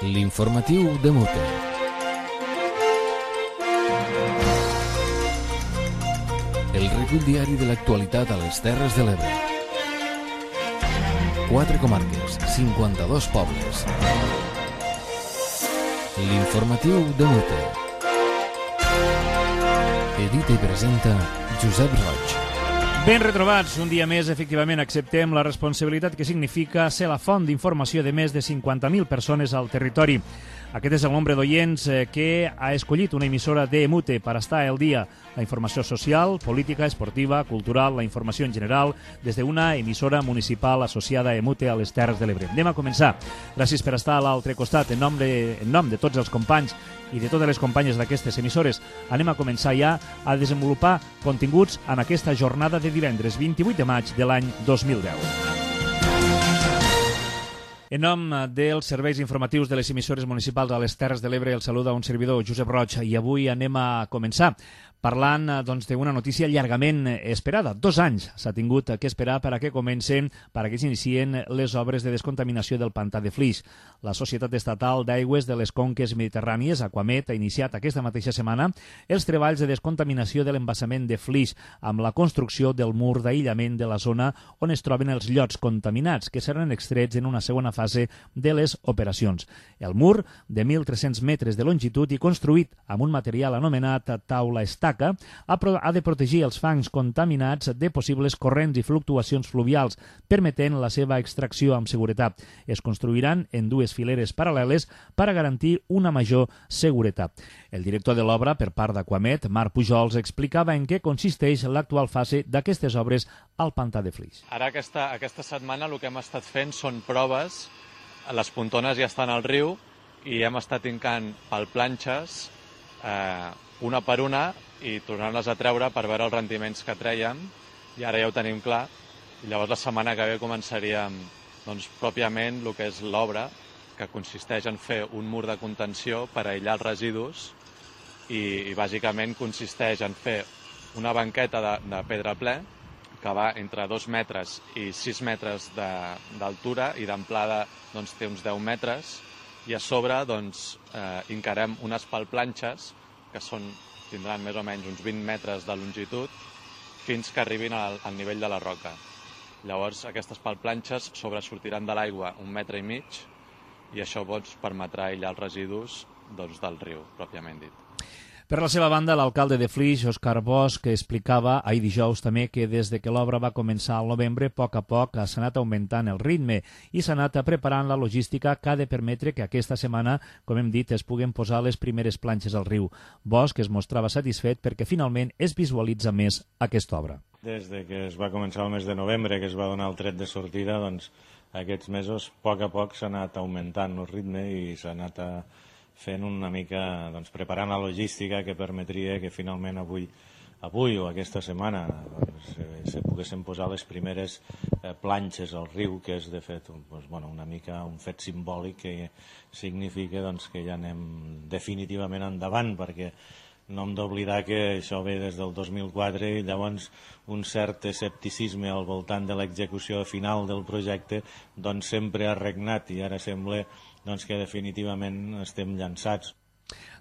L'informatiu de Mute. El recull diari de l'actualitat a les Terres de l'Ebre. 4 comarques, 52 pobles. L'informatiu de Mute. Edita i presenta Josep Roig. Ben retrobats, un dia més, efectivament, acceptem la responsabilitat que significa ser la font d'informació de més de 50.000 persones al territori. Aquest és el nombre d'oients que ha escollit una emissora de Mute per estar al dia. La informació social, política, esportiva, cultural, la informació en general, des d'una emissora municipal associada a Mute a les Terres de l'Ebre. Anem a començar. Gràcies per estar a l'altre costat. En nom de tots els companys i de totes les companyes d'aquestes emissores, anem a començar ja a desenvolupar continguts en aquesta jornada de divendres 28 de maig de l'any 2010. En nom dels serveis informatius de les emissores municipals a les Terres de l'Ebre, el saluda un servidor, Josep Roig, i avui anem a començar parlant d'una notícia llargament esperada. 2 anys s'ha tingut que esperar per a que comencen, per a que s'inicien les obres de descontaminació del pantà de Flix. La Societat Estatal d'Aigües de les Conques Mediterrànies, Aquamet, ha iniciat aquesta mateixa setmana els treballs de descontaminació de l'embassament de Flix amb la construcció del mur d'aïllament de la zona on es troben els llots contaminats, que seran extrets en una segona fase de les operacions. El mur, de 1.300 metres de longitud i construït amb un material anomenat taula estaca, ha de protegir els fangs contaminats de possibles corrents i fluctuacions fluvials, permetent la seva extracció amb seguretat. Es construiran en 2 fileres paral·leles per a garantir una major seguretat. El director de l'obra, per part d'Aquamet, Marc Pujols, explicava en què consisteix l'actual fase d'aquestes obres al pantà de Flix. Ara aquesta setmana el que hem estat fent són proves. Les pontones ja estan al riu i hem estat hincant palplanxes una per una i tornar-les a treure per veure els rendiments que treiem, i ara ja ho tenim clar. I llavors la setmana que ve començaríem pròpiament el que és l'obra, que consisteix en fer un mur de contenció per aïllar els residus i bàsicament consisteix en fer una banqueta de pedra ple que va entre 2 metres i 6 metres d'altura i d'amplada té uns 10 metres, i a sobre hincarem unes palplanxes que tindran més o menys uns 20 metres de longitud fins que arribin al nivell de la roca. Llavors aquestes palplanxes sobresortiran de l'aigua 1,5 metres i això permetrà aïllar els residus del riu, pròpiament dit. Per la seva banda, l'alcalde de Flix, Òscar Bosch, explicava ahir dijous també que des de que l'obra va començar al novembre, a poc s'ha anat augmentant el ritme i s'ha anat preparant la logística que ha de permetre que aquesta setmana, com hem dit, es puguen posar les primeres planxes al riu. Bosch es mostrava satisfet perquè finalment es visualitza més aquesta obra. Des que es va començar el mes de novembre, que es va donar el tret de sortida, aquests mesos, a poc s'ha anat augmentant el ritme i s'ha anat fent una mica, preparant la logística que permetria que finalment avui o aquesta setmana se poguessin posar les primeres planxes al riu, que és de fet una mica un fet simbòlic que significa que ja anem definitivament endavant, perquè no hem d'oblidar que això ve des del 2004 i llavors un cert escepticisme al voltant de l'execució final del projecte sempre ha regnat i ara sembla que definitivament estem llançats.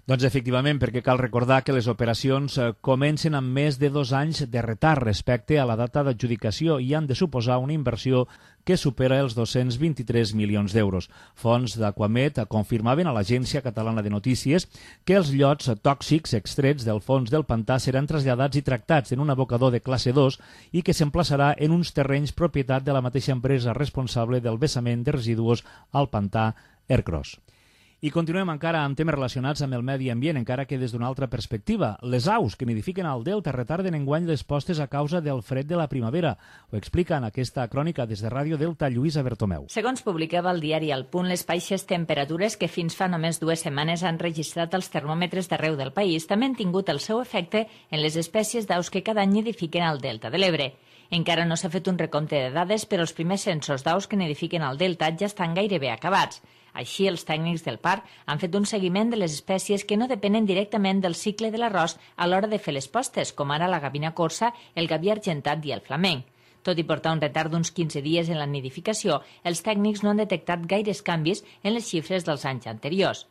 Efectivament, perquè cal recordar que les operacions comencen amb més de 2 anys de retard respecte a la data d'adjudicació i han de suposar una inversió que supera els 223 milions d'euros. Fons d'Aquamet confirmaven a l'Agència Catalana de Notícies que els llots tòxics extrets del fons del pantà seran traslladats i tractats en un abocador de classe 2 i que s'emplaçarà en uns terrenys propietat de la mateixa empresa responsable del vessament de residus al pantà Ercros. I continuem encara amb temes relacionats amb el medi ambient, encara que des d'una altra perspectiva. Les aus que nidifiquen al delta retarden enguany les postes a causa del fred de la primavera. Ho explica en aquesta crònica des de Ràdio Delta Lluïsa Bertomeu. Segons publicava el diari El Punt, les baixes temperatures que fins fa només 2 setmanes han registrat els termòmetres d'arreu del país també han tingut el seu efecte en les espècies d'aus que cada any nidifiquen al delta de l'Ebre. Encara no s'ha fet un recompte de dades, però els primers censos d'aus que nidifiquen al delta ja estan gairebé acabats. Així, els tècnics del parc han fet un seguiment de les espècies que no depenen directament del cicle de l'arròs a l'hora de fer les postes, com ara la gavina corsa, el gaví argentat i el flamenc. Tot i portar un retard d'uns 15 dies en la nidificació, els tècnics no han detectat gaires canvis en les xifres dels anys anteriors.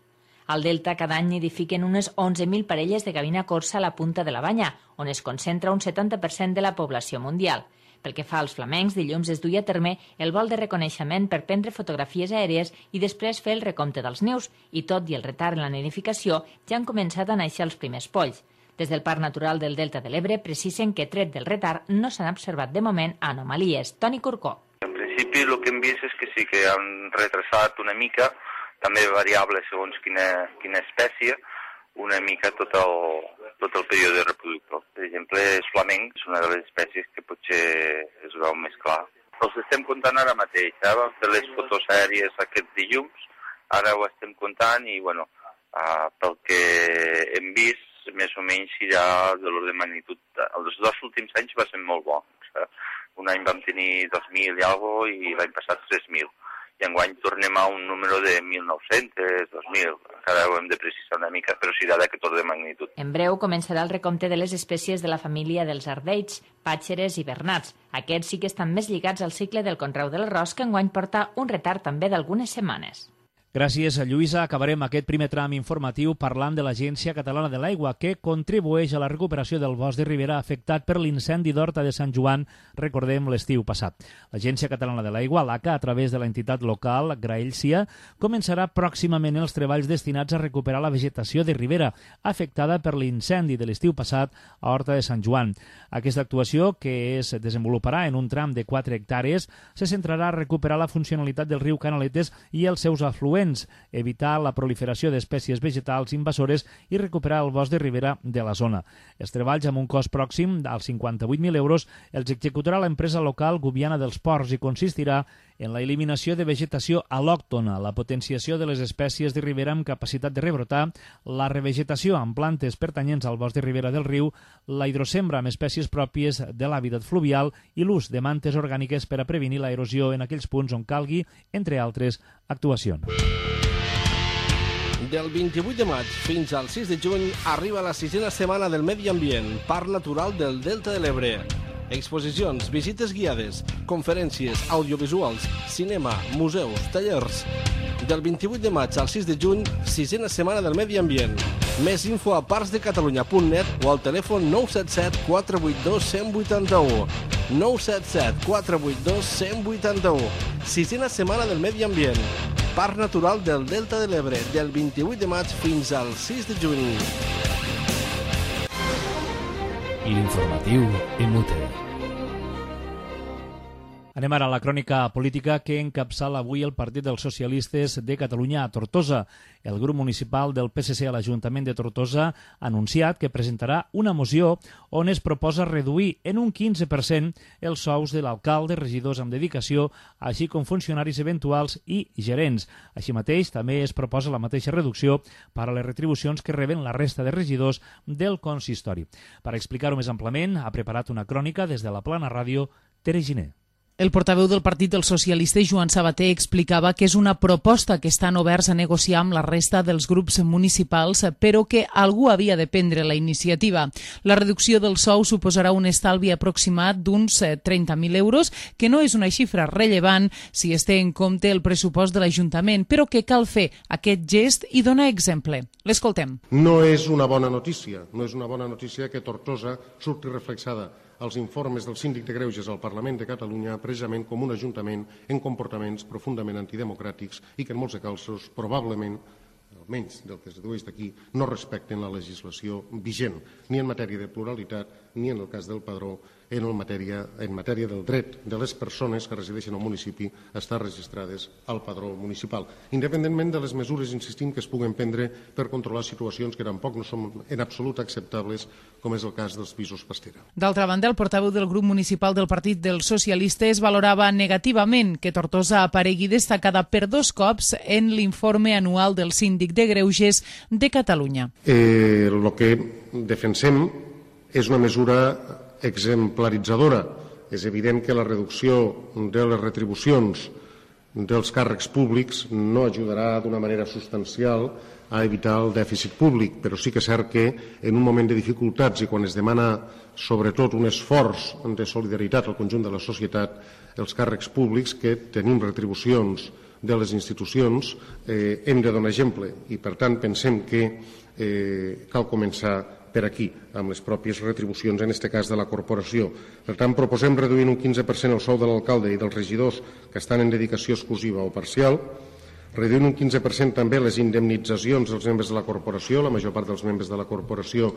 Al Delta cada any nidifiquen unes 11.000 parelles de gavina corsa a la punta de la Banya, on es concentra un 70% de la població mundial. Pel que fa als flamencs, dilluns es duia a terme el vol de reconeixement per prendre fotografies aèries i després fer el recompte dels nius, i tot i el retard en la nidificació ja han començat a néixer els primers polls. Des del Parc Natural del Delta de l'Ebre precisen que, tret del retard, no s'han observat de moment anomalies. Toni Corcó. En principi el que hem vist és que sí que han retrasat una mica, també variable segons quina espècie, una mica tot el període reproductor. Per exemple, el flamenc és una de les espècies que potser es veu més clar. Els estem comptant ara mateix, vam fer les fotos aèries aquest dilluns, ara ho estem comptant i, pel que hem vist, més o menys serà de l'ordre de magnitud. Els 2 últims anys va ser molt bons. Un any vam tenir 2.000 i alguna i l'any passat 3.000. I enguany tornem a un número de 1.900, 2.000. Encara ho hem de precisar una mica, però serà d'aquest ordre de magnitud. En breu començarà el recompte de les espècies de la família dels ardeigs, pàtxeres i bernats. Aquests sí que estan més lligats al cicle del conreu de l'arròs, que enguany porta un retard també d'algunes setmanes. Gràcies, Lluïsa. Acabarem aquest primer tram informatiu parlant de l'Agència Catalana de l'Aigua, que contribueix a la recuperació del bosc de ribera afectat per l'incendi d'Horta de Sant Joan, recordem, l'estiu passat. L'Agència Catalana de l'Aigua, l'ACA, a través de l'entitat local Graelsia, començarà pròximament els treballs destinats a recuperar la vegetació de ribera afectada per l'incendi de l'estiu passat a Horta de Sant Joan. Aquesta actuació, que es desenvoluparà en un tram de 4 hectàrees, se centrarà a recuperar la funcionalitat del riu Canaletes i els seus afluents, evitar la proliferació d'espècies vegetals invasores i recuperar el bosc de ribera de la zona. Els treballs, amb un cost pròxim als 58.000 euros, els executarà l'empresa local Gubiana dels Ports i consistirà en la eliminació de vegetació al·lòctona, la potenciació de les espècies de ribera amb capacitat de rebrotar, la revegetació amb plantes pertanyents al bosc de ribera del riu, la hidrosembra amb espècies pròpies de l'hàbitat fluvial i l'ús de mantes orgàniques per a prevenir l'erosió en aquells punts on calgui, entre altres actuacions. Del 28 de maig fins al 6 de juny arriba la 6a setmana del Medi Ambient, Parc Natural del Delta de l'Ebre. Exposicions, visites guiades, conferències, audiovisuals, cinema, museus, tallers. Del 28 de maig al 6 de juny, 6a setmana del Medi Ambient. Més info a parcsdecatalunya.net o al telèfon 977 482 181. 977 482 181. 6a setmana del Medi Ambient. Parc Natural del Delta de l'Ebre, del 28 de maig fins al 6 de juny. L'informatiu MUTE. Anem ara a la crònica política que encapçala avui el Partit dels Socialistes de Catalunya a Tortosa. El grup municipal del PSC a l'Ajuntament de Tortosa ha anunciat que presentarà una moció on es proposa reduir en un 15% els sous de l'alcalde, regidors amb dedicació, així com funcionaris eventuals i gerents. Així mateix, també es proposa la mateixa reducció per a les retribucions que reben la resta de regidors del consistori. Per explicar-ho més amplament, ha preparat una crònica des de la Plana Ràdio, Tere Giner. El portaveu del Partit dels Socialistes, Joan Sabater, explicava que és una proposta que estan oberts a negociar amb la resta dels grups municipals, però que algú havia de prendre la iniciativa. La reducció del sou suposarà un estalvi aproximat d'uns 30.000 euros, que no és una xifra rellevant si es té en compte el pressupost de l'Ajuntament, però que cal fer aquest gest i donar exemple. L'escoltem. No és una bona notícia, que Tortosa surti reflexada als informes del Síndic de Greuges al Parlament de Catalunya precisament com un ajuntament en comportaments profundament antidemocràtics i que en molts casos probablement, almenys del que es dedueix d'aquí, no respecten la legislació vigent, ni en matèria de pluralitat ni en el cas del padró, en matèria del dret de les persones que resideixen al municipi a estar registrades al padró municipal, independentment de les mesures, insistim, que es puguen prendre per controlar situacions que tampoc no són en absolut acceptables, com és el cas dels pisos pastera. D'altra banda, el portaveu del grup municipal del Partit dels Socialistes valorava negativament que Tortosa aparegui destacada per 2 cops en l'informe anual del Síndic de Greuges de Catalunya. El que defensem és una mesura exemplaritzadora. És evident que la reducció de les retribucions dels càrrecs públics no ajudarà d'una manera substancial a evitar el dèficit públic, però sí que és cert que en un moment de dificultats i quan es demana sobretot un esforç de solidaritat al conjunt de la societat, els càrrecs públics que tenim retribucions de les institucions hem de donar exemple i per tant pensem que cal començar per aquí, amb les pròpies retribucions, en aquest cas de la corporació. Per tant, proposem reduir un 15% el sou de l'alcalde i dels regidors que estan en dedicació exclusiva o parcial, reduir un 15% també les indemnitzacions dels membres de la corporació. La major part dels membres de la corporació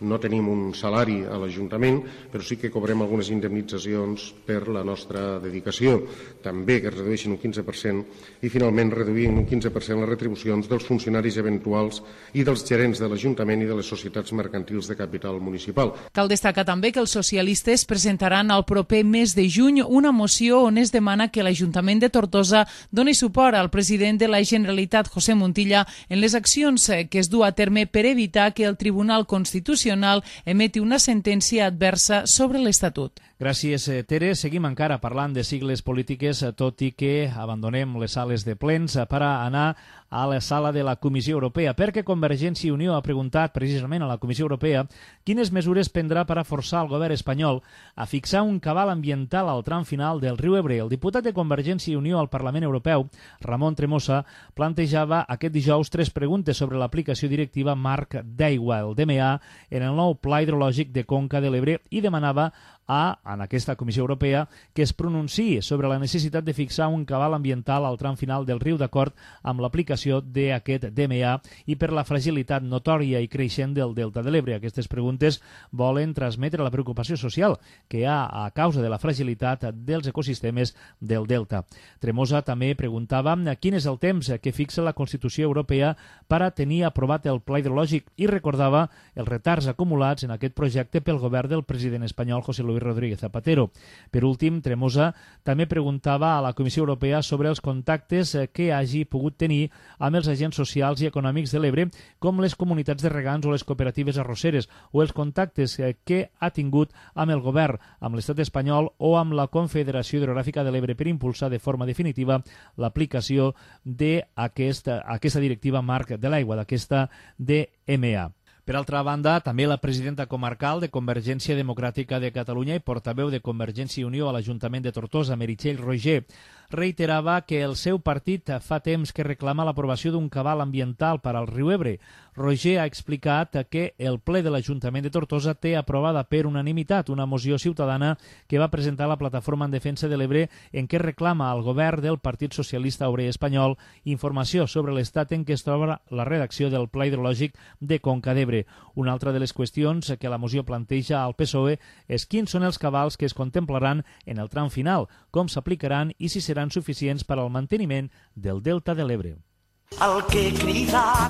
no tenim un salari a l'Ajuntament, però sí que cobrem algunes indemnitzacions per la nostra dedicació. També que es redueixin un 15% i finalment reduir un 15% les retribucions dels funcionaris eventuals i dels gerents de l'Ajuntament i de les societats mercantils de capital municipal. Cal destacar també que els socialistes presentaran al proper mes de juny una moció on es demana que l'Ajuntament de Tortosa doni suport al president de la Generalitat, José Montilla, en les accions que es du a terme per evitar que el Tribunal Constitucional emeti una sentència adversa sobre l'Estatut. Gràcies, Tere. Seguim encara parlant de sigles polítiques, tot i que abandonem les sales de plens per anar a la sala de la Comissió Europea, perquè Convergència i Unió ha preguntat precisament a la Comissió Europea quines mesures prendrà per a forçar el govern espanyol a fixar un cabal ambiental al tram final del riu Ebre. El diputat de Convergència i Unió al Parlament Europeu, Ramon Tremosa, plantejava aquest dijous 3 preguntes sobre l'aplicació directiva marc d'aigua, el DMA, en el nou pla hidrològic de Conca de l'Ebre i demanava en aquesta Comissió Europea que es pronunciï sobre la necessitat de fixar un cabal ambiental al tram final del riu d'acord amb l'aplicació d'aquest DMA i per la fragilitat notòria i creixent del Delta de l'Ebre. Aquestes preguntes volen transmetre la preocupació social que hi ha a causa de la fragilitat dels ecosistemes del Delta. Tremosa també preguntava quin és el temps que fixa la Constitució Europea per a tenir aprovat el pla hidrològic i recordava els retards acumulats en aquest projecte pel govern del president espanyol José Luis Rodríguez Zapatero. Per últim, Tremosa també preguntava a la Comissió Europea sobre els contactes que hagi pogut tenir amb els agents socials i econòmics de l'Ebre, com les comunitats de regants o les cooperatives arrosseres, o els contactes que ha tingut amb el govern, amb l'estat espanyol o amb la Confederació Hidrogràfica de l'Ebre per impulsar de forma definitiva l'aplicació d'aquesta directiva marc de l'aigua, d'aquesta DMA. Per altra banda, també la presidenta comarcal de Convergència Democràtica de Catalunya i portaveu de Convergència i Unió a l'Ajuntament de Tortosa, Meritxell Roger, reiterava que el seu partit fa temps que reclama l'aprovació d'un cabal ambiental per al riu Ebre. Roger ha explicat que el ple de l'Ajuntament de Tortosa té aprovada per unanimitat una moció ciutadana que va presentar la Plataforma en Defensa de l'Ebre en què reclama al govern del Partit Socialista Obrer Espanyol informació sobre l'estat en què es troba la redacció del Pla Hidrològic de Conca d'Ebre. Una altra de les qüestions que la moció planteja al PSOE és quins són els cabals que es contemplaran en el tram final, com s'aplicaran i si seran suficients per al manteniment del Delta de l'Ebre.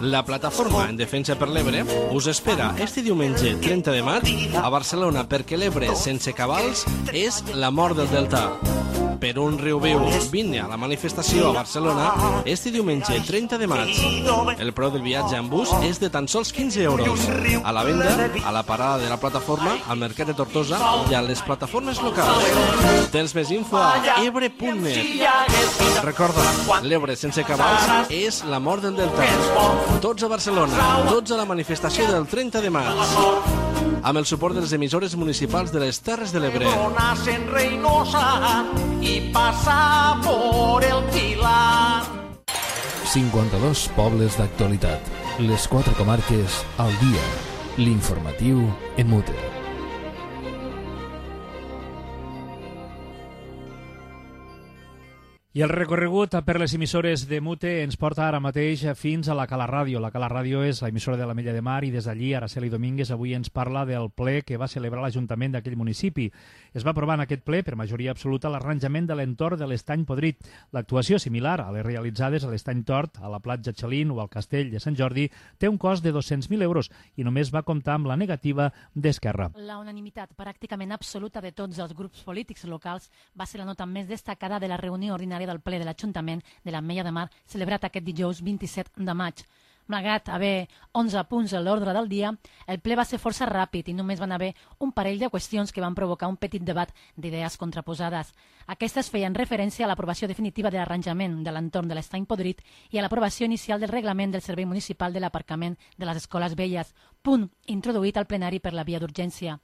La Plataforma en Defensa per l'Ebre us espera este diumenge 30 de maig a Barcelona perquè l'Ebre sense cabals és la mort del Delta. Per un riu viu, vine a la manifestació a Barcelona este diumenge 30 de maig. El preu del viatge en bus és de tan sols 15 euros. A la venda, a la parada de la plataforma, al Mercat de Tortosa i a les plataformes locals. Tens més info a ebre.net. Recorda, l'Ebre sense cabals és la mort del Delta. Tots a Barcelona, tots a la manifestació del 30 de maig. Amb el suport de les emissores municipals de les Terres de l'Ebre. Y pasa por el Pilar. 52 pobles d'actualitat. Les 4 comarques al dia. L'informatiu en Mute. I el recorregut per les emissores de Mute ens porta ara mateix fins a la Cala Ràdio. La Cala Ràdio és l'emissora de l'Ametlla de Mar i des d'allí Araceli Domínguez avui ens parla del ple que va celebrar l'Ajuntament d'aquell municipi. Es va aprovar en aquest ple per majoria absoluta l'arranjament de l'entorn de l'Estany Podrit. L'actuació, similar a les realitzades a l'Estany Tort, a la platja Xalín o al Castell de Sant Jordi, té un cost de 200.000 euros i només va comptar amb la negativa d'Esquerra. La unanimitat pràcticament absoluta de tots els grups polítics locals va ser la nota més destacada de la reunió ordinària del ple de l'Ajuntament de l'Ametlla de Mar celebrat aquest dijous 27 de maig. Malgrat haver 11 punts a l'ordre del dia, el ple va ser força ràpid i només van haver un parell de qüestions que van provocar un petit debat d'idees contraposades. Aquestes feien referència a l'aprovació definitiva de l'arranjament de l'entorn de l'Estany Podrit i a l'aprovació inicial del reglament del Servei Municipal de l'Aparcament de les Escoles Velles, punt introduït al plenari per la via d'urgència.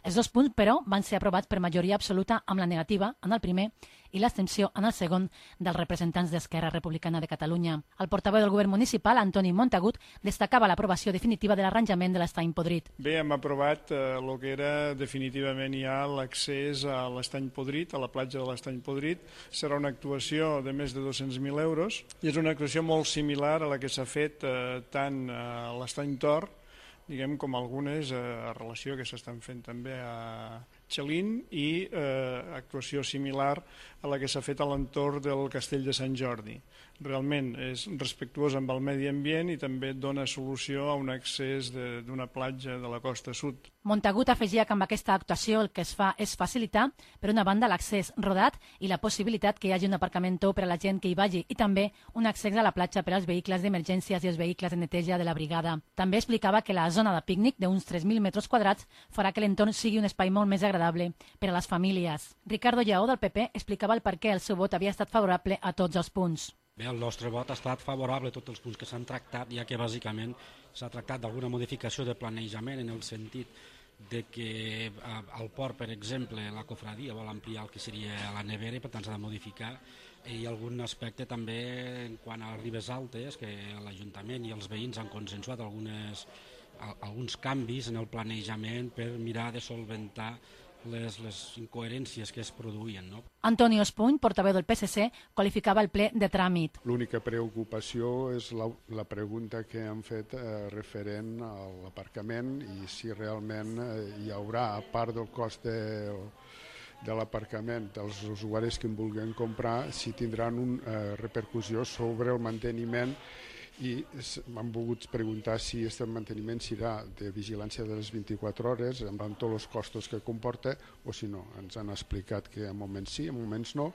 Els dos punts, però, van ser aprovats per majoria absoluta amb la negativa en el primer i l'abstenció en el segon dels representants d'Esquerra Republicana de Catalunya. El portaveu del govern municipal, Antoni Montagut, destacava l'aprovació definitiva de l'arranjament de l'Estany Podrit. Bé, hem aprovat el que era definitivament ja l'accés a l'Estany Podrit, a la platja de l'Estany Podrit. Serà una actuació de més de 200.000 euros i és una actuació molt similar a la que s'ha fet tant a l'Estany Tor, diguem, com algunes a relació que s'estan fent també a Xalín i actuació similar a la que s'ha fet a l'entorn del Castell de Sant Jordi. Realment és respectuós amb el medi ambient i també dona solució a un accés d'una platja de la costa sud. Montagut afegia que amb aquesta actuació el que es fa és facilitar, per una banda, l'accés rodat i la possibilitat que hi hagi un aparcament tou per a la gent que hi vagi i també un accés a la platja per als vehicles d'emergències i els vehicles de neteja de la brigada. També explicava que la zona de pícnic d'uns 3.000 metres quadrats farà que l'entorn sigui un espai molt més agradable per a les famílies. Ricardo Lleó, del PP, explicava el per què el seu vot havia estat favorable a tots els punts. Bé, el nostre vot ha estat favorable a tots els punts que s'han tractat, ja que bàsicament s'ha tractat d'alguna modificació de planejament en el sentit de que al port, per exemple, la cofradia vol ampliar el que seria la nevera i per tant s'ha de modificar, i algun aspecte també en quant a les ribes altes, que l'Ajuntament i els veïns han consensuat alguns canvis en el planejament per mirar de solventar les incoherències que es produïen. No? Antonio Espuny, portaveu del PSC, qualificava el ple de tràmit. L'única preocupació és la pregunta que han fet referent a l'aparcament i si realment hi haurà, a part del cost de l'aparcament dels usuaris que en vulguin comprar, si tindran una repercussió sobre el manteniment i m'han volgut preguntar si aquest manteniment serà de vigilància de les 24 hores amb tots els costos que comporta o si no. Ens han explicat que en moments sí, en moments no,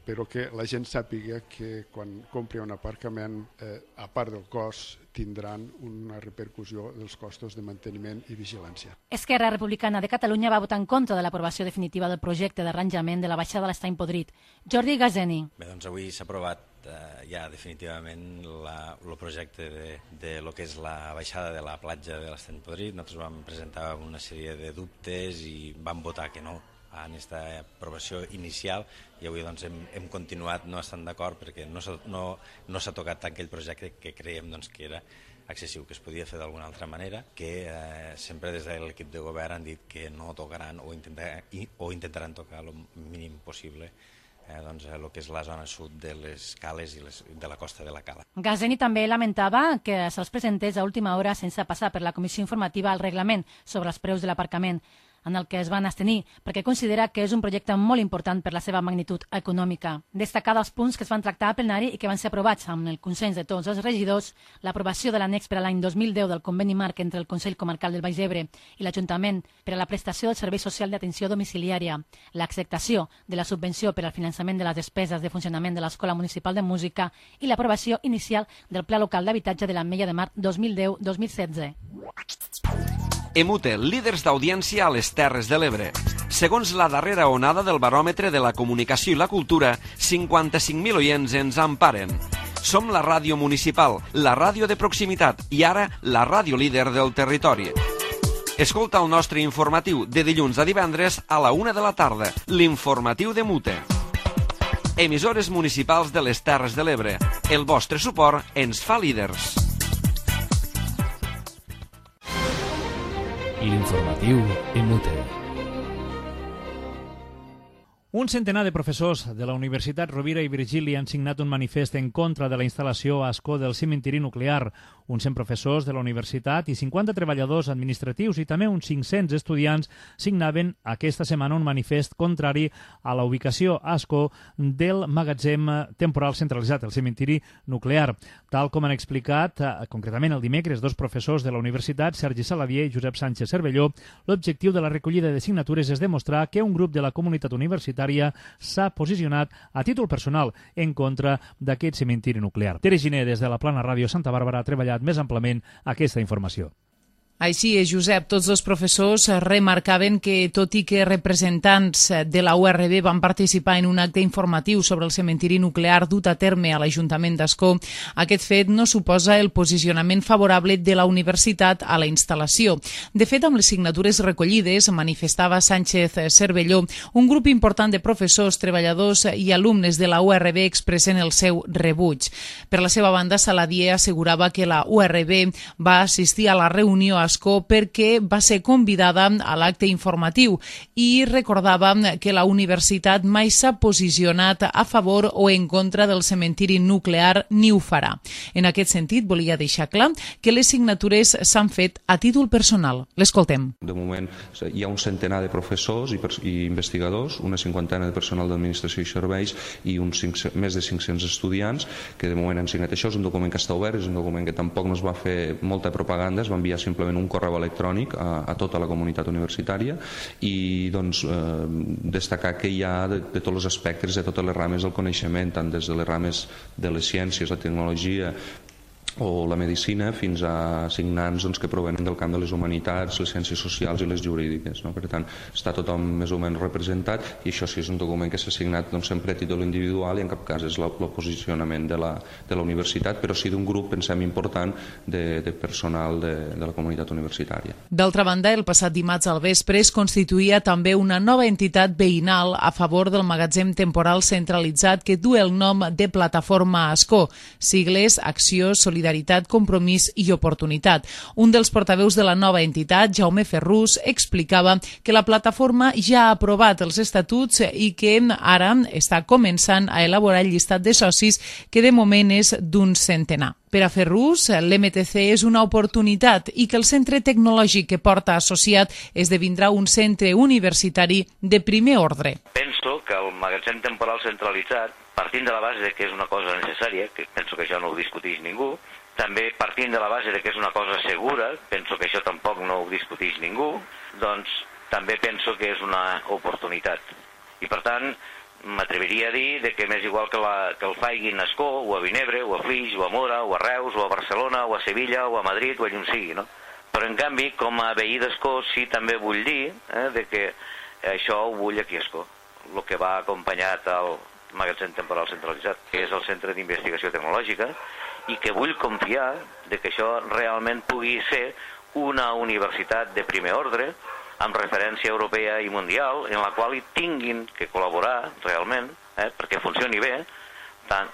però que la gent sàpiga que quan compri un aparcament, a part del cost, tindran una repercussió dels costos de manteniment i vigilància. Esquerra Republicana de Catalunya va votar en contra de l'aprovació definitiva del projecte d'arranjament de la baixada de l'Estany Podrit. Jordi Gazeni. Bé, doncs avui s'ha aprovat ja definitivament el projecte de lo que és la baixada de la platja de l'Estany Podrit. Nosaltres vam presentar una sèrie de dubtes i vam votar que no en aquesta aprovació inicial i avui doncs, hem continuat no estant d'acord perquè no s'ha tocat tant aquell projecte que creiem doncs, que era excessiu, que es podia fer d'alguna altra manera, que sempre des de l'equip de govern han dit que no tocaran o intentaran tocar el mínim possible el que és la zona sud de les cales i de la costa de la cala. Gazeni també lamentava que se'ls presentés a última hora sense passar per la comissió informativa al reglament sobre els preus de l'aparcament, en el que es van abstenir, perquè considera que és un projecte molt important per la seva magnitud econòmica. Destacar dels punts que es van tractar a plenari i que van ser aprovats amb el consens de tots els regidors, l'aprovació de l'annex per a l'any 2010 del conveni marc entre el Consell Comarcal del Baix Ebre i l'Ajuntament per a la prestació del Servei Social d'Atenció Domiciliària, l'acceptació de la subvenció per al finançament de les despeses de funcionament de l'Escola Municipal de Música i l'aprovació inicial del Pla Local d'Habitatge de l'Ametlla de Mar 2010-2016. Emute, líders d'audiència a les Terres de l'Ebre. Segons la darrera onada del baròmetre de la comunicació i la cultura, 55.000 oients ens emparen. Som la ràdio municipal, la ràdio de proximitat i ara la ràdio líder del territori. Escolta el nostre informatiu de dilluns a divendres a la 1 de la tarda, l'informatiu de Mute. Emissores municipals de les Terres de l'Ebre. El vostre suport ens fa líders. L'informatiu en Mute. Un centenar de professors de la Universitat Rovira i Virgili han signat un manifest en contra de la instal·lació a Ascó del cimentiri nuclear. Uns 100 professors de la universitat i 50 treballadors administratius i també uns 500 estudiants signaven aquesta setmana un manifest contrari a la ubicació a Ascó del magatzem temporal centralitzat, el cimentiri nuclear. Tal com han explicat, concretament el dimecres, dos professors de la universitat, Sergi Saladier i Josep Sánchez Cervelló, l'objectiu de la recollida de signatures és demostrar que un grup de la comunitat universitària s'ha posicionat a títol personal en contra d'aquest cimentiri nuclear. Tere Giner, des de la Plana Ràdio Santa Bàrbara, ha treballat detallat més amplament aquesta informació. Així és, Josep. Tots els professors remarcaven que, tot i que representants de la URB van participar en un acte informatiu sobre el cementiri nuclear dut a terme a l'Ajuntament d'Ascó, aquest fet no suposa el posicionament favorable de la universitat a la instal·lació. De fet, amb les signatures recollides, manifestava Sánchez Cervelló, un grup important de professors, treballadors i alumnes de la URB expressen el seu rebuig. Per la seva banda, Saladier assegurava que la URB va assistir a la reunió a Ascó perquè va ser convidada a l'acte informatiu i recordava que la universitat mai s'ha posicionat a favor o en contra del cementiri nuclear ni ho farà. En aquest sentit, volia deixar clar que les signatures s'han fet a títol personal. L'escoltem. De moment hi ha un centenar de professors i investigadors, una cinquantena de personal d'administració i serveis i més de 500 estudiants que de moment han signat. Això és un document que està obert, és un document que tampoc no es va fer molta propaganda, es va enviar simplement un correu electrònic a tota la comunitat universitària i doncs, destacar que hi ha de tots els aspectes, de totes les rames del coneixement, tant des de les rames de les ciències, la tecnologia o la medicina, fins a signants que provenen del camp de les humanitats, les ciències socials i les jurídiques. Per tant, està tothom més o menys representat i això sí és un document que s'ha signat sempre a títol individual i en cap cas és el posicionament de la universitat, però sí d'un grup, pensem, important de personal de la comunitat universitària. D'altra banda, el passat dimarts al vespre es constituïa també una nova entitat veïnal a favor del magatzem temporal centralitzat que du el nom de Plataforma Ascó, sigles Acció, Solidaritat, Compromís i Oportunitat. Un dels portaveus de la nova entitat, Jaume Ferrús, explicava que la plataforma ja ha aprovat els estatuts i que ara està començant a elaborar el llistat de socis, que de moment és d'un centenar. Per a Ferrús, l'MTC és una oportunitat i que el centre tecnològic que porta associat esdevindrà un centre universitari de primer ordre. Penso que el magatzem temporal centralitzat, partint de la base que és una cosa necessària, que penso que això no ho discuteix ningú, també partint de la base que és una cosa segura, penso que això tampoc no ho discuteix ningú, doncs també penso que és una oportunitat. I per tant, m'atreviria a dir que m'és igual que el faiguin a Ascó, o a Vinebre, o a Flix, o a Mora, o a Reus, o a Barcelona, o a Sevilla, o a Madrid, o a llum sigui, no? Però en canvi, com a veí d'Ascó, sí també vull dir que això ho vull aquí a Ascó, el que va acompanyat al magatzem temporal centralitzat, que és el Centre d'Investigació Tecnològica, i que vull confiar que això realment pugui ser una universitat de primer ordre, amb referència europea i mundial, en la qual hi tinguin que col·laborar realment, perquè funcioni bé,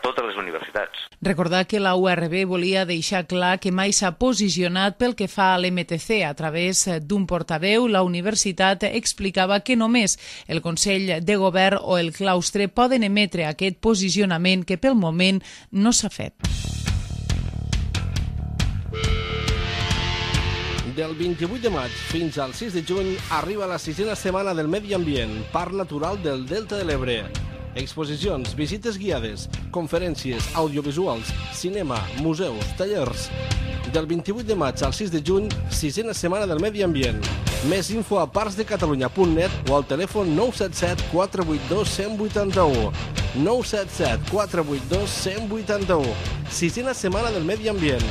totes les universitats. Recordar que la URB volia deixar clar que mai s'ha posicionat pel que fa a l'MTC. A través d'un portaveu, la universitat explicava que només el Consell de Govern o el claustre poden emetre aquest posicionament que pel moment no s'ha fet. Del 28 de maig fins al 6 de juny arriba la 6a setmana del Medi Ambient, Parc Natural del Delta de l'Ebre. Exposicions, visites guiades, conferències, audiovisuals, cinema, museus, tallers. Del 28 de maig al 6 de juny, 6a setmana del Medi Ambient. Més info a parcsdecatalunya.net o al telèfon 977 482 181. 977 482 181. 6a setmana del Medi Ambient.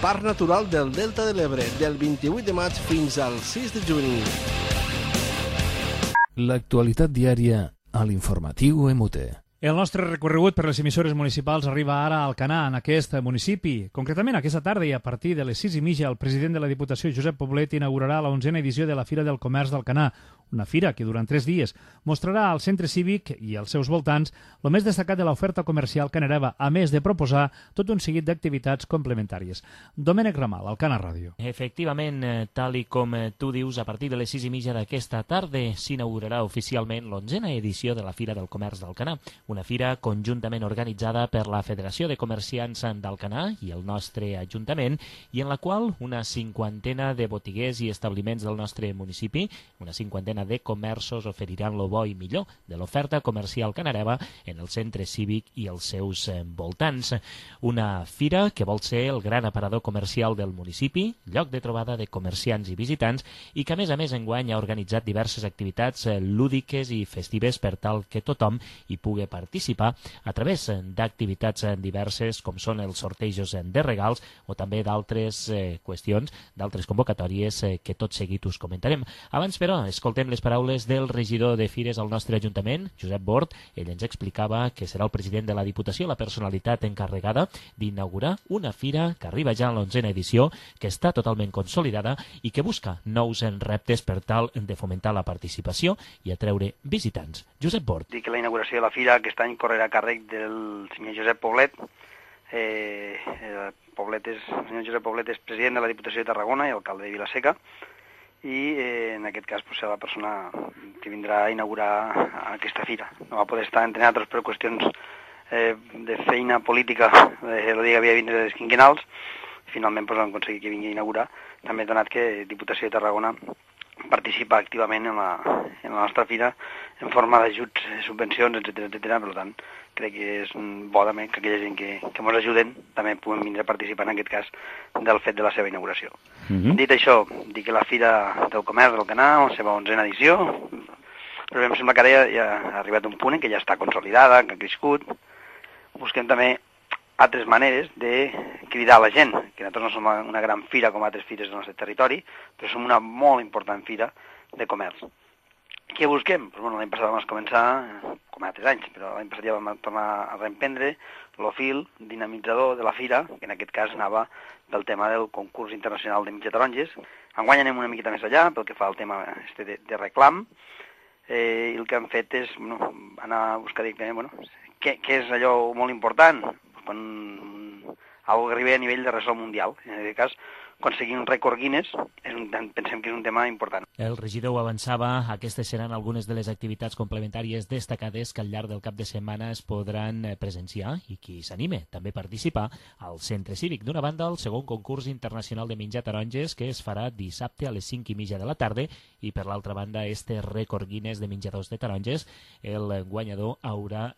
Parc Natural del Delta de l'Ebre, del 28 de maig fins al 6 de juny. L'actualitat diària a l'informatiu MUT. El nostre recorregut per les emissores municipals arriba ara a Alcanar, en aquest municipi. Concretament, aquesta tarda i a partir de les 6:30, el president de la Diputació, Josep Poblet, inaugurarà la 11a edició de la Fira del Comerç d'Alcanar, una fira que durant 3 dies mostrarà al centre cívic i als seus voltants el més destacat de l'oferta comercial canereva, a més de proposar tot un seguit d'activitats complementàries. Domènec Ramal, Alcanar Ràdio. Efectivament, tal i com tu dius, a partir de les 6:30 d'aquesta tarda s'inaugurarà oficialment l'11a edició de la Fira del Comerç d'Alcanar, una fira conjuntament organitzada per la Federació de Comerciants d'Alcanar i el nostre Ajuntament, i en la qual una cinquantena de botiguers i establiments del nostre municipi, una cinquantena de comerços oferiran lo bo i millor de l'oferta comercial canareva en el centre cívic i els seus voltants. Una fira que vol ser el gran aparador comercial del municipi, lloc de trobada de comerciants i visitants, i que a més enguany ha organitzat diverses activitats lúdiques i festives per tal que tothom hi pugui participar a través d'activitats diverses com són els sortejos de regals o també d'altres qüestions, d'altres convocatòries que tot seguit us comentarem. Abans, però, escoltem les paraules del regidor de Fires al nostre Ajuntament, Josep Bort. Ell ens explicava que serà el president de la Diputació, la personalitat encarregada d'inaugurar una fira que arriba ja a l'11ª edició, que està totalment consolidada i que busca nous reptes per tal de fomentar la participació i atreure visitants. Josep Bort. Dic que la inauguració de la fira aquest any correrà a càrrec del senyor Josep Poblet. El senyor Josep Poblet és president de la Diputació de Tarragona i alcalde de Vila-seca, i en aquest cas serà la persona que vindrà a inaugurar aquesta fira. No va poder estar, entre altres, per qüestions de feina política, el dia que havia de vindre les quinquenals. Finalment vam aconseguir que vingui a inaugurar, també donat que Diputació de Tarragona participa activament en la nostra fira en forma d'ajuts, subvencions, etc. Per tant, crec que és bo també que aquella gent que ens ajuden també puguem vindre a participar en aquest cas del fet de la seva inauguració. Dit això, dic que la Fira del Comerç del Canà, la seva 11ª edició, però em sembla que ara ja ha arribat un punt en què ja està consolidada, que ha crescut. Busquem també altres maneres de cridar a la gent, que nosaltres no som una gran fira com altres fires del nostre territori, però som una molt important fira de comerç. Què busquem? L'any passat vam començar, com altres anys, però l'any passat ja vam tornar a reemprendre el fil dinamitzador de la fira, que en aquest cas anava pel tema del concurs internacional de mitja taronges. Enguany anem una miqueta més allà, pel que fa al tema de reclam, i el que hem fet és anar a buscar directament què és allò molt important, quan algo arriba a nivell de ressò mundial. En aquest cas, aconseguir un rècord Guinness pensem que és un tema important. El regidor ho avançava, aquestes seran algunes de les activitats complementàries destacades que al llarg del cap de setmana es podran presenciar i qui s'anime també a participar al centre cívic. D'una banda, el segon concurs internacional de menjar taronges que es farà dissabte a les 5:30 de la tarda i per l'altra banda este rècord Guinness de menjadors de taronges, el guanyador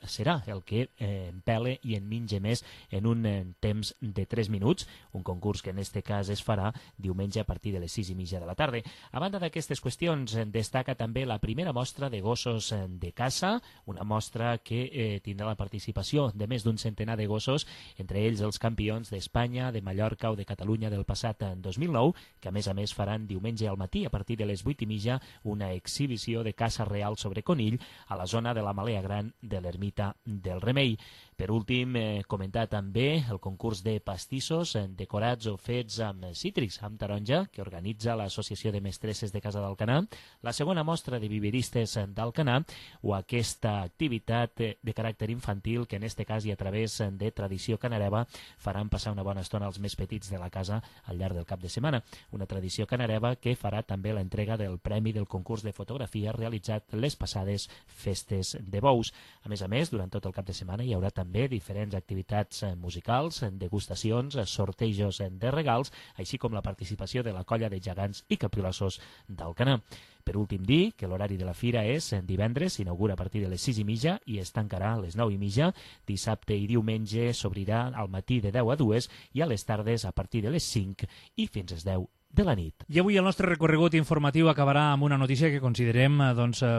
serà el que empele i en menja més en un temps de 3 minuts, un concurs que en este cas es farà diumenge a partir de les 6:30 de la tarda. A banda d'aquestes qüestions, destaca també la primera mostra de gossos de caça, una mostra que tindrà la participació de més d'un centenar de gossos, entre ells els campions d'Espanya, de Mallorca o de Catalunya del passat 2009, que a més faran diumenge al matí a partir de les 8:30 una exhibició de caça real sobre conill a la zona de la Malea Gran de l'Ermita del Remei. Per últim, comentar també el concurs de pastissos decorats o fets amb cítrics, amb taronja, que organitza l'Associació de Mestresses de Casa d'Alcanar, la segona mostra de viveristes d'Alcanar o aquesta activitat de caràcter infantil que en este cas i a través de tradició canareva faran passar una bona estona als més petits de la casa al llarg del cap de setmana. Una tradició canareva que farà també l'entrega del premi del concurs de fotografia realitzat les passades festes de bous. A més, durant tot el cap de setmana hi haurà també diferents activitats musicals, degustacions, sortejos de regals, així com la participació de la colla de gegants i capgrossos d'Alcanar. Per últim, dir que l'horari de la fira és divendres, s'inaugura a partir de les 6:30 i es tancarà a les 9:30. Dissabte i diumenge s'obrirà al matí de 10 a 2 i a les tardes a partir de les 5 i fins a les 10 de la nit. I avui el nostre recorregut informatiu acabarà amb una notícia que considerem,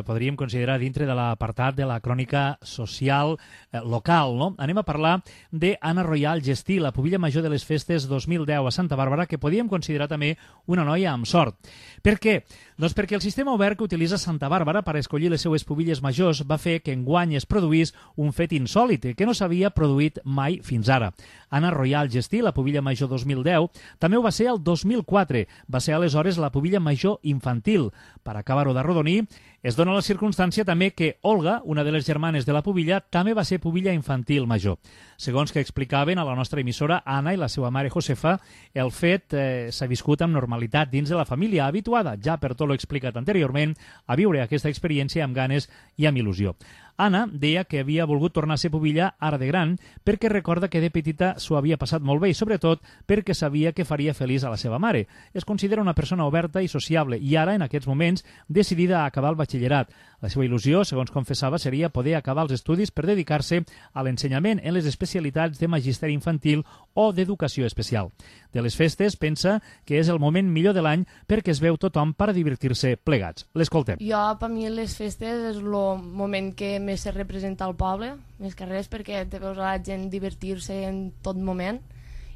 podríem considerar dintre de l'apartat de la crònica social local, no? Anem a parlar d'Anna Royal Gestí, la pubilla major de les festes 2010 a Santa Bàrbara, que podíem considerar també una noia amb sort. Per què? Doncs perquè el sistema obert que utilitza Santa Bàrbara per escollir les seues pubilles majors va fer que enguany es produís un fet insòlit que no s'havia produït mai fins ara. Anna Royal Gestí, la pubilla major 2010, també ho va ser el 2004. Va ser aleshores la pubilla major infantil. Per acabar-ho d'arrodonir, es dona la circumstància també que Olga, una de les germanes de la pubilla, també va ser pubilla infantil major. Segons que explicaven a la nostra emissora, Anna i la seva mare Josefa, el fet s'ha viscut amb normalitat dins de la família, habituada, ja per tot l'explicat anteriorment, a viure aquesta experiència amb ganes i amb il·lusió. Anna deia que havia volgut tornar a ser pubilla ara de gran perquè recorda que de petita s'ho havia passat molt bé i sobretot perquè sabia que faria feliç a la seva mare. Es considera una persona oberta i sociable i ara, en aquests moments, decidida a acabar el batxillerat. La seva il·lusió, segons confessava, seria poder acabar els estudis per dedicar-se a l'ensenyament en les especialitats de magisteri infantil o d'educació especial. De les festes pensa que és el moment millor de l'any perquè es veu tothom per a divertir-se plegats. L'escoltem. Jo, per mi, les festes és el moment que més se representa al poble, més que res, perquè te veus a la gent divertir-se en tot moment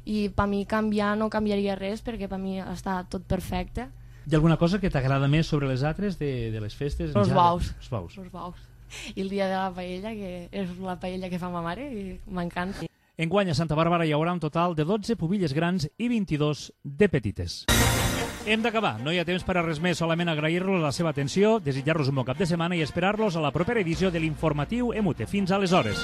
i per mi canviar no canviaria res perquè per mi està tot perfecte. Hi ha alguna cosa que t'agrada més sobre les altres de les festes? Els baus. Els baus. Els baus. I el dia de la paella, que és la paella que fa ma mare i m'encanta. Enguany a Santa Bàrbara hi haurà un total de 12 pubilles grans i 22 de petites. Hem d'acabar, no hi ha temps per a res més, solament agrair-los la seva atenció, desitjar-los un bon cap de setmana i esperar-los a la propera edició de l'informatiu EMUTE. Fins aleshores.